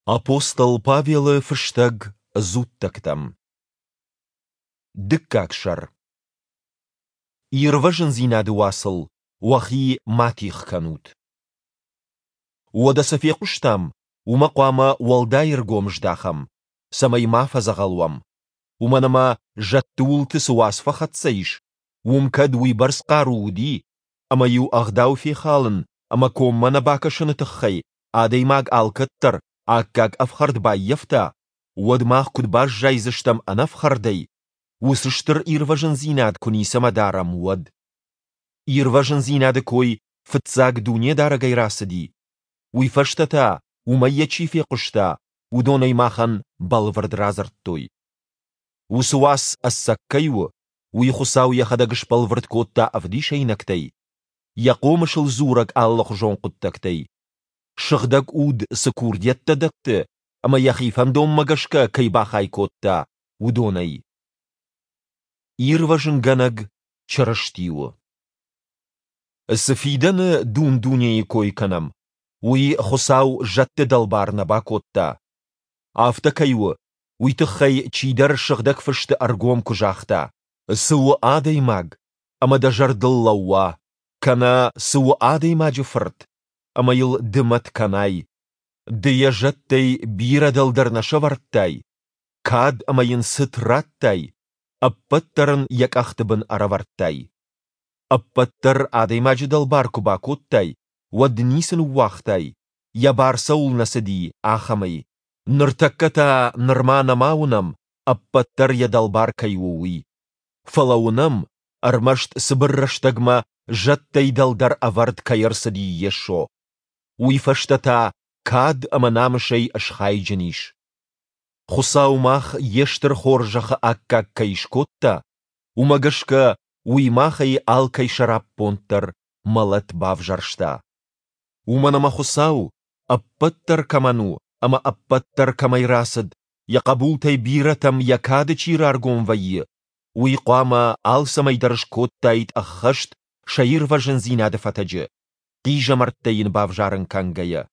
Апостол Павелы фыстӕг дзуттӕгтӕм. Дыккаг сӕр. Ирвӕзындзинады уацыл уӕхи ма тигъ кӕнут. Уӕдӕ цы фехъуыстам, уымӕ хъуамӕ уӕлдай ӕргом здахӕм, цӕмӕй ма фӕдзӕгъӕл уӕм. Уымӕн ӕмӕ зӕдты уылты цы уац фӕхӕццӕ ис, уым кӕд уыйбӕрц хъару уыди, ӕмӕ-иу ӕгъдау фехалын ӕмӕ коммӕ нӕ бакӕсыны тыххӕй адӕймаг алкӕддӕр аккаг ӕфхӕрд баййӕфта, уӕд мах куыд баззайдзыстӕм ӕнӕфхӕрдӕй, уыцы стыр ирвӕзындзинад куы ницӕмӕ дарӕм, уӕд? Ирвӕзындзинады кой фыццаг Дунедарӕгӕй рацыди, уый фӕстӕ та, уымӕй йӕ чи фехъуыста, уыдон ӕй махӕн бӕлвырд радзырдтой. Уыцы уац ӕцӕг кӕй у, уый Хуыцау йӕхӕдӕг сбӕлвырд кодта ӕвдисӕйнӕгтӕй, йӕ хъомысыл дзурӕг алыхуызон хъуыддӕгтӕй. Сыгъдӕг Уд цы курдиӕттӕ дӕтты ӕмӕ йӕхи фӕндонмӕ гӕсгӕ кӕй бахай кодта, уыдонӕй. Ирвӕзынгӕнӕг Чырысти у. Цы фидӕны дун-дунейы кой кӕнӕм, уый Хуыцау зӕдты дӕлбар нӕ бакодта. Афтӕ кӕй у, уый тыххӕй чидӕр Сыгъдӕг Фысты ӕргом куы загъта: Цы у адӕймаг, ӕмӕ дӕ зӕрдыл лӕууа, кӕнӕ цы у адӕймаджы фырт, ӕмӕ йыл ды мӕт кӕнай. Ды йӕ зӕдтӕй бирӕ дӕлдӕр нӕ сӕвӕрдтай, кад ӕмӕ йын цыт радтай, ӕппӕт дӕр ын йӕ къӕхты бын ӕрӕвӕрдтай. Ӕппӕт дӕр адӕймаджы дӕлбар куы бакодтай, уӕд ницы ныууагътай, йӕ бар цӕуыл нӕ цыди, ахӕмӕй. Ныртӕккӕ та нырма нӕма уынӕм, ӕппӕт дӕр йӕ дӕлбар кӕй у, уый. Фӕлӕ уынӕм, ӕрмӕст цыбыр рӕстӕгмӕ зӕдтӕй дӕлдӕр ӕвӕрд кӕй ӕрцыди Йесо. Уый фӕстӕ та кад ӕмӕ намысӕй схайджын ис. Хуыцау мах йе стыр хорзӕхы аккаг кӕй скодта, уымӕ гӕсгӕ уый махӕй алкӕй сӕраппонд дӕр мӕлӕт бавзӕрста. Уымӕн ӕмӕ Хуыцау, ӕппӕт дӕр кӕмӕн у ӕмӕ ӕппӕт дӕр кӕмӕй рацыд, йӕ хъӕбултӕй бирӕтӕм йӕ кады чи раргом вӕййы, уый хъуамӕ алцӕмӕй дӕр скодтаид ӕххӕст сӕ ирвӕзындзинады фӕтӕджы, хъизӕмӕрттӕ йын бавзарын кӕнгӕйӕ.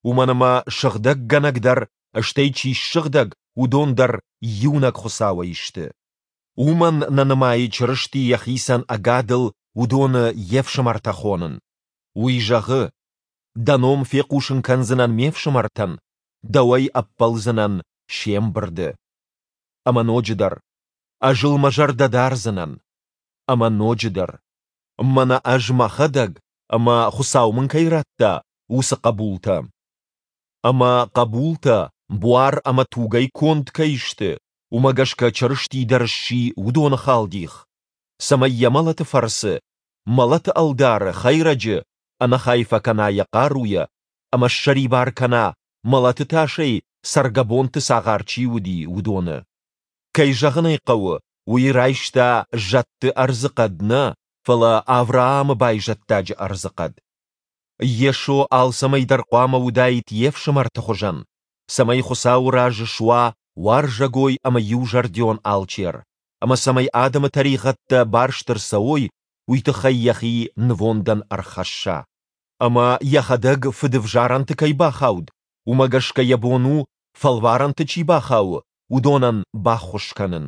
Уымӕн ӕмӕ сыгъдӕггӕнӕг дӕр, стӕй чи ссыгъдӕг, уыдон дӕр иунӕг Хуыцауӕй сты. Уымӕн нӕ нымайы Чырысти йӕхицӕн ӕгадыл уыдоны йе фсымӕртӕ хонын. Уый зӕгъы, Дӕ ном фехъусын кӕндзынӕн ме фсымӕртӕн, дӕуӕй ӕппӕлдзынӕн се мбырды. Ӕмӕ ноджыдӕр, Ӕз ыл мӕ зӕрдӕ дардзынӕн. Ӕмӕ ноджыдӕр, Мӕнӕ ӕз мӕхӕдӕг ӕмӕ, Хуыцау мын кӕй радта, уыцы хъӕбултӕ. Ӕмӕ хъӕбултӕ буар ӕмӕ тугӕй конд кӕй сты, уымӕ гӕсгӕ Чырысти дӕр сси уыдоны халдих, цӕмӕй йӕ мӕлӕты фӕрцы мӕлӕты ӕлдары, хӕйрӕджы, ӕнӕхай фӕкӕна йӕ хъаруйӕ ӕмӕ ссӕрибар кӕна, мӕлӕты тасӕй цӕргӕбонты цагъар чи уыди, уыдоны. Кӕй зӕгъын ӕй хъӕуы, уый райста зӕдты ӕрдзыхъӕд нӕ, фӕлӕ Авраамы байзӕддаджы ӕрдзыхъӕд. Йесо алцӕмӕй дӕр хъуамӕ уыдаид йе фсымӕрты хуызӕн, цӕмӕй Хуыцауы раз суа уарзӕгой ӕмӕ иузӕрдион алчер, ӕмӕ цӕмӕй адӕмы тӕригъӕдтӕ барст ӕрцӕуой, уый тыххӕй йӕхи нывондӕн ӕрхӕсса. Ӕмӕ йӕхӕдӕг фыдывзарӕнты кӕй бахауд, уымӕ гӕсгӕ йӕ бон у, фӕлварӕнты чи бахауы, уыдонӕн баххуыс кӕнын.